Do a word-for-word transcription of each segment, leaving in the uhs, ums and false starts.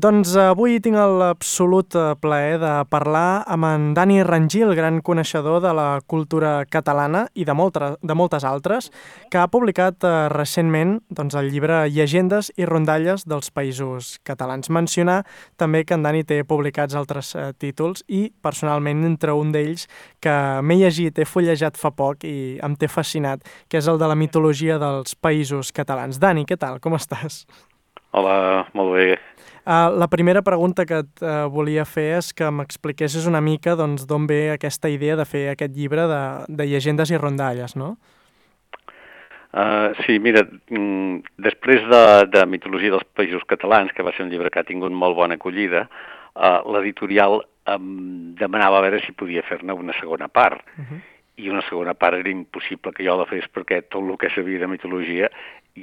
Doncs avui tinc l'absolut plaer de parlar amb en Dani Rangil, gran coneixedor de la cultura catalana i de, molta, de moltes altres, que ha publicat eh, recentment doncs, el llibre Llegendes i rondalles dels països catalans. Mencionar també que en Dani té publicats altres eh, títols i, personalment, entre un d'ells que m'he llegit, he fullejat fa poc i em té fascinat, que és el de la mitologia dels països catalans. Dani, què tal? Com estàs? Hola, molt bé. Uh, la primera pregunta que et uh, volia fer és que m'expliquessis una mica doncs, d'on ve aquesta idea de fer aquest llibre de, de llegendes i rondalles, no? Uh, sí, mira, mm, després de, de Mitologia dels Països Catalans, que va ser un llibre que ha tingut molt bona acollida, uh, l'editorial em demanava a veure si podia fer-ne una segona part. Uh-huh. I una segona part era impossible que jo la fes perquè tot el que sabia de mitologia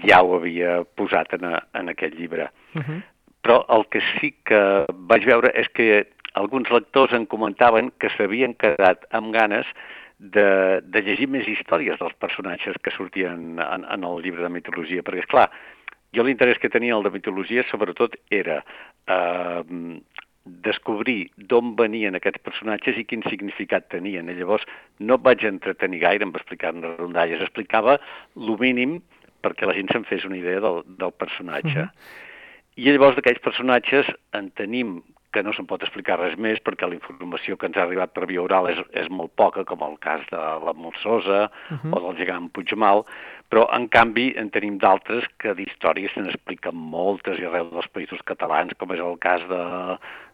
ja ho havia posat en, a, en aquest llibre. Uh-huh. Però el que sí que vaig veure és que alguns lectors em comentaven que s'havien quedat amb ganes de, de llegir més històries dels personatges que sortien en, en el llibre de mitologia, perquè, esclar, jo l'interès que tenia el de mitologia sobretot era eh, descobrir d'on venien aquests personatges i quin significat tenien. I llavors no et vaig entretenir gaire en explicar-ne rondalles, explicava el mínim perquè la gent se'n fes una idea del, del personatge. Uh-huh. I llavors d'aquells personatges en tenim que no se'n pot explicar res més perquè la informació que ens ha arribat per via oral és, és molt poca, com el cas de la Molsosa uh-huh. o del gegant Puigmal, però en canvi en tenim d'altres que d'històries se n'expliquen moltes i arreu dels països catalans, com és el cas de,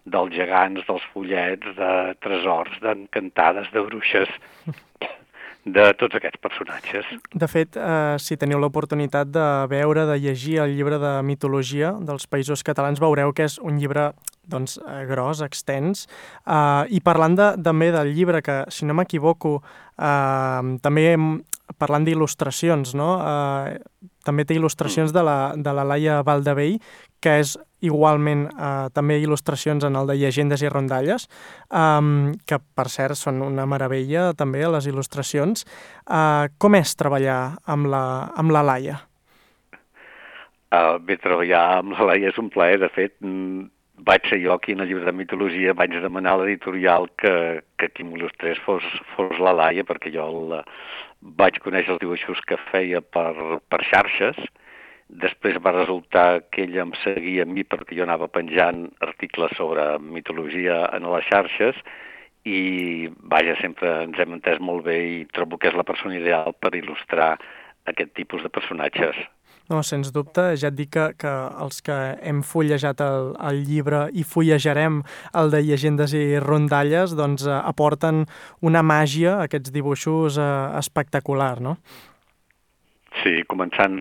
dels gegants, dels follets, de tresors, d'encantades, de bruixes, de tots aquests personatges. De fet, eh, si teniu l'oportunitat de veure, de llegir el llibre de mitologia dels països catalans, veureu que és un llibre doncs, eh, gros, extens, eh, i parlant de, també del llibre, que si no m'equivoco, eh, també parlant d'il·lustracions, no? Eh, també té il·lustracions de la, de la Laia Valdevell, que és igualment eh, també il·lustracions en el de Llegendes i rondalles, eh, que per cert són una meravella també les il·lustracions. Eh, com és treballar amb la, amb la Laia? Uh, bé, treballar amb la Laia és un plaer. De fet, mm, vaig ser jo aquí en el llibre de mitologia, vaig demanar a l'editorial que, que qui m'il·lustrés fos, fos la Laia, perquè jo el, vaig conèixer els dibuixos que feia per, per xarxes. Després va resultar que ella em seguia a mi perquè jo anava penjant articles sobre mitologia en les xarxes i, vaja, sempre ens hem entès molt bé i trobo que és la persona ideal per il·lustrar aquest tipus de personatges. No, sens dubte, ja et dic que, que els que hem fullejat el, el llibre i fullejarem el de Llegendes i rondalles, doncs eh, aporten una màgia a aquests dibuixos eh, espectacular, no? Sí, començant...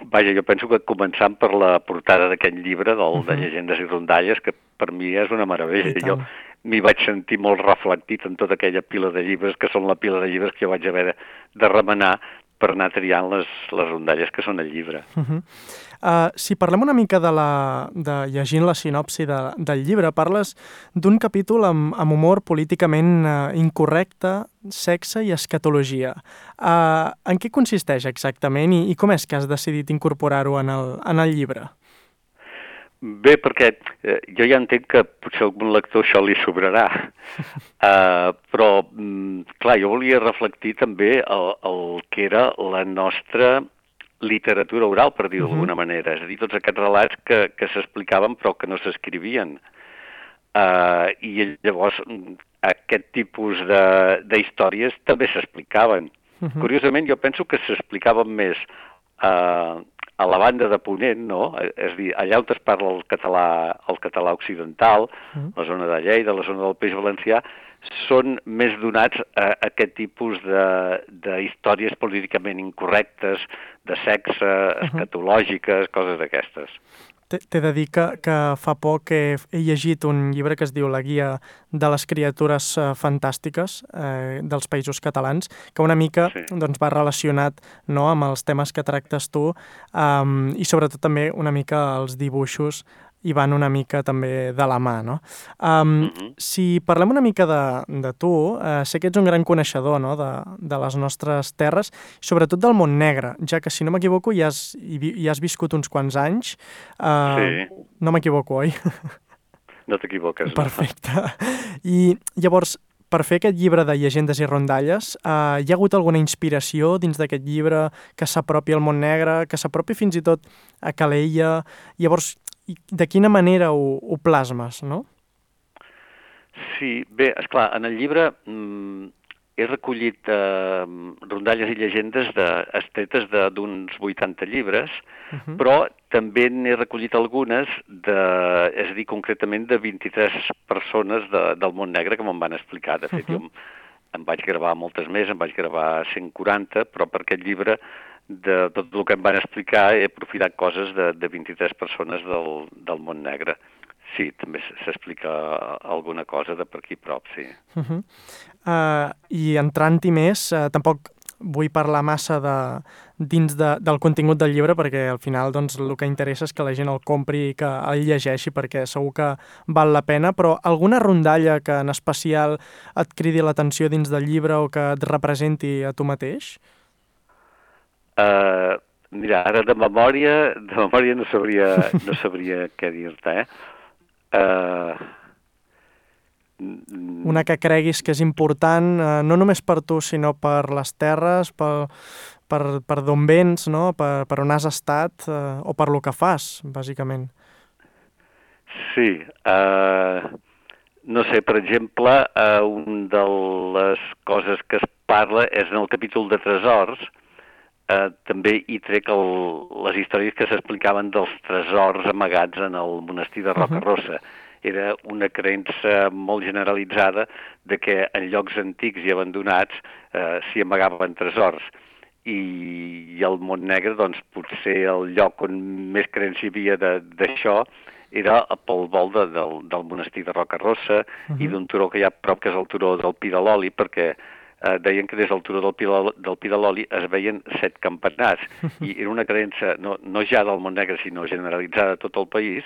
Vaja, jo penso que començant per la portada d'aquest llibre, del, uh-huh. de Llegendes i rondalles, que per mi és una meravella. Jo m'hi vaig sentir molt reflectit en tota aquella pila de llibres, que són la pila de llibres que jo vaig haver de, de remenar per anar triant les, les rondalles que són al llibre. Uh-huh. Uh, si parlem una mica de, la, de llegint la sinopsi de, del llibre, parles d'un capítol amb, amb humor políticament uh, incorrecte, sexe i escatologia. Uh, en què consisteix exactament i, i com és que has decidit incorporar-ho en el, en el llibre? Bé, perquè eh, jo ja entenc que potser a algun lector això li sobrarà, uh, però, mm, clar, jo volia reflectir també el, el que era la nostra literatura oral, per dir-ho uh-huh. d'alguna manera, és a dir, tots aquests relats que, que s'explicaven però que no s'escrivien. Uh, I llavors aquest tipus d'històries també s'explicaven. Uh-huh. Curiosament, jo penso que s'explicaven més uh, a la banda de Ponent, no? És a dir, allà on es parla el català, el català occidental, uh-huh. la zona de Lleida, la zona del País Valencià, són més donats a, a aquest tipus d'històries políticament incorrectes, de sexe, uh-huh. escatològiques, coses d'aquestes. T'he de dir que, que fa poc he, he llegit un llibre que es diu La guia de les criatures eh, fantàstiques eh, dels països catalans, que una mica sí. doncs, va relacionat no, amb els temes que tractes tu um, i sobretot també una mica els dibuixos i van una mica també de la mà, no? Um, Uh -huh. Si parlem una mica de, de tu, eh, sé que ets un gran coneixedor, no?, de, de les nostres terres, sobretot del Montnegre, ja que, si no m'equivoco, hi has, hi, vi- hi has viscut uns quants anys. Uh, Sí, no m'equivoco, oi? no t'equivoques, no? Perfecte. I llavors, per fer aquest llibre de llegendes i rondalles, eh, hi ha hagut alguna inspiració dins d'aquest llibre que s'apropi al Montnegre, que s'apropi fins i tot a Calella? Llavors, i de quina manera ho, ho plasmes, no? Sí, bé, esclar, en el llibre mm, he recollit eh, rondalles i llegendes de, estretes de- d'uns vuitanta llibres, Uh -huh. però també n'he recollit algunes, de, és a dir, concretament de vint-i-tres persones de, del Montnegre que me'n van explicar. De fet, Uh jo -huh. em, em vaig gravar moltes més, em vaig gravar cent quaranta, però per aquest llibre, de tot el que em van explicar, he aprofitat coses de, de vint-i-tres persones del, del Montnegre. Sí, també s- s'explica alguna cosa de per aquí prop, sí. Uh -huh. Uh, I entrant-hi més, uh, tampoc vull parlar massa de, dins de, del contingut del llibre, perquè al final doncs, el que interessa és que la gent el compri i que el llegeixi, perquè segur que val la pena, però alguna rondalla que en especial et cridi l'atenció dins del llibre o que et representi a tu mateix? Uh, mira, ara de memòria, de memòria no sabria, no sabria què dir-te, eh? Uh, Una que creguis que és important, eh, no només per tu, sinó per les terres, per, per, per d'on vens, no? per, per on has estat, eh, o per lo que fas, bàsicament. sí, uh, no sé, per exemple, uh, una de les coses que es parla és en el capítol de tresors, uh, també hi trec el, les històries que s'explicaven dels tresors amagats en el monestir de Roca Rossa. Era una creença molt generalitzada de que en llocs antics i abandonats eh, s'hi amagaven tresors. I, I el Montnegre, doncs, potser el lloc on més creença hi havia d'això era pel vol de, del, del monestir de Roca Rossa uh -huh. i d'un turó que hi ha a prop, que és el turó del Pi de l'Oli, perquè eh, deien que des del turó del Pi, del Pi de l'Oli es veien set campanars. I era una creença, no, no ja del Montnegre, sinó generalitzada a tot el país,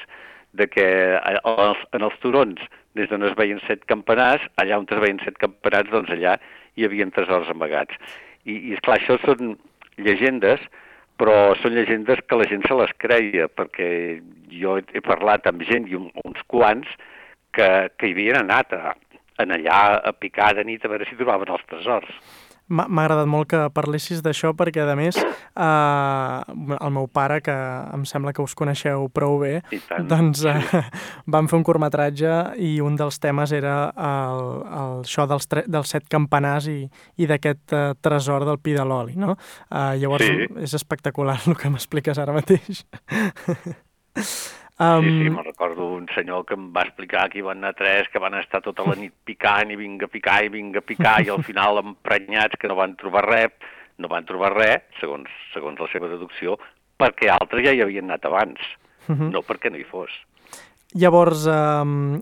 de que en els turons, des d'on es veien set campanars, allà on es veien set campanars, doncs allà hi havia tresors amagats. I, i esclar, això són llegendes, però són llegendes que la gent se les creia, perquè jo he parlat amb gent, i un, uns quants, que, que hi havien anat a, en allà a picar de nit a veure si trobaven els tresors. M'ha m'ha agradat molt que parlessis d'això perquè, a més, eh, el meu pare, que em sembla que us coneixeu prou bé, I tant, doncs eh, sí. vam fer un curtmetratge i un dels temes era el, el, això dels, tre dels set campanars i, i d'aquest eh, tresor del Pi de l'Oli, no? Eh, llavors, Sí. és espectacular el que m'expliques ara mateix. Um... Sí, sí, um, me'n recordo un senyor que em va explicar que hi van anar tres, que van estar tota la nit picant i vinga a picar i vinga a picar i al final emprenyats que no van trobar res, no van trobar res, segons, segons la seva deducció, perquè altres ja hi havien anat abans, uh -huh. no perquè no hi fos. Llavors, um,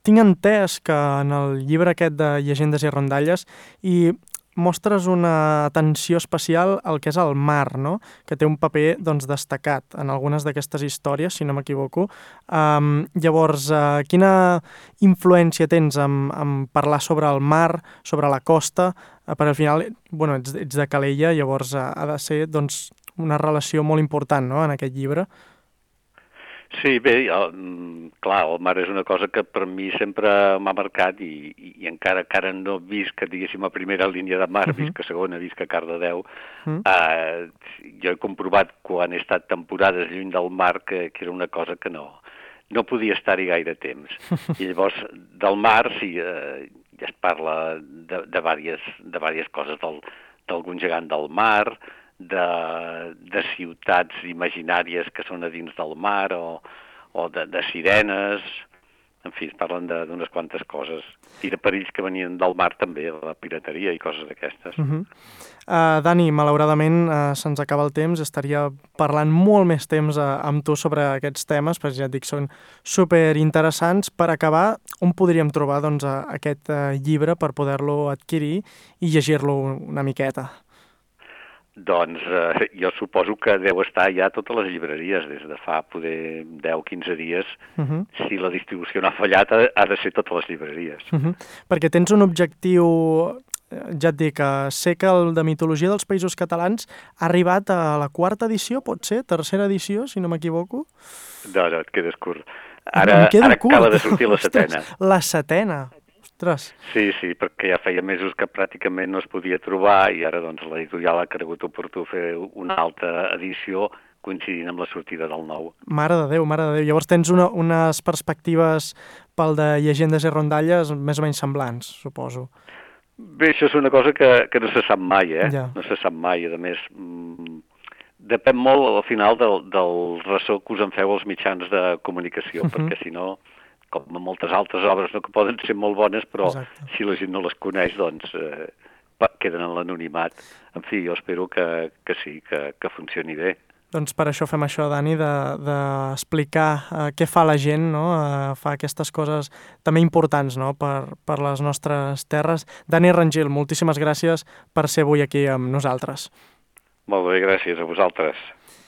tinc entès que en el llibre aquest de llegendes i rondalles i mostres una atenció especial al que és el mar, no? Que té un paper doncs, destacat en algunes d'aquestes històries, si no m'equivoco. Um, llavors, uh, quina influència tens en, en parlar sobre el mar, sobre la costa? Uh, perquè al final, bueno, ets, ets de Calella, llavors uh, ha de ser doncs, una relació molt important, no?, en aquest llibre. Sí, bé, el, clar, el mar és una cosa que per mi sempre m'ha marcat i, i, i encara encara no visc, diguéssim, a primera línia de mar, uh -huh. visc a segona, visc a Cardedeu, uh -huh. eh, jo he comprovat quan he estat temporades lluny del mar que, que era una cosa que no, no podia estar-hi gaire temps. I llavors, del mar, sí, eh, ja es parla de, de, diverses, de diverses coses, del, d'algun gegant del mar, de, de ciutats imaginàries que són a dins del mar o, o de, de sirenes, en fi, es parlen d'unes quantes coses. I de perills que venien del mar també, la pirateria i coses d'aquestes. Uh -huh. uh, Dani, malauradament uh, se'ns acaba el temps, estaria parlant molt més temps uh, amb tu sobre aquests temes, perquè ja et dic, són superinteressants. Per acabar, on podríem trobar doncs, uh, aquest uh, llibre per poder-lo adquirir i llegir-lo una miqueta? doncs eh, jo suposo que deu estar ja a totes les llibreries, des de fa poder deu o quinze dies. Uh -huh. Si la distribució no ha fallat, ha, ha de ser totes les llibreries. Uh -huh. Perquè tens un objectiu, ja et dic, sé que el de mitologia dels Països Catalans ha arribat a la quarta edició, pot ser? Tercera edició, si no m'equivoco? No, no, et quedes curt. Ara, ara acaba de sortir la setena. Ostres, la setena? Ostres. Sí, sí, perquè ja feia mesos que pràcticament no es podia trobar i ara doncs l'editorial ha cregut oportú fer una altra edició coincidint amb la sortida del nou. Mare de Déu, mare de Déu. Llavors tens una, unes perspectives pel de llegendes i rondalles més o menys semblants, suposo. Bé, això és una cosa que, que no se sap mai, eh? Ja. No se sap mai, a més, mmm, depèn molt al final del, del ressò que us en feu els mitjans de comunicació, uh -huh. perquè si no, com en moltes altres obres, no, que poden ser molt bones, però Exacte. Si la gent no les coneix, doncs eh, queden en l'anonimat. En fi, jo espero que, que sí, que, que funcioni bé. Doncs per això fem això, Dani, d'explicar de, de uh, què fa la gent, no? Uh, fa aquestes coses també importants, no? per, per les nostres terres. Dani Rangel, moltíssimes gràcies per ser avui aquí amb nosaltres. Molt bé, gràcies a vosaltres.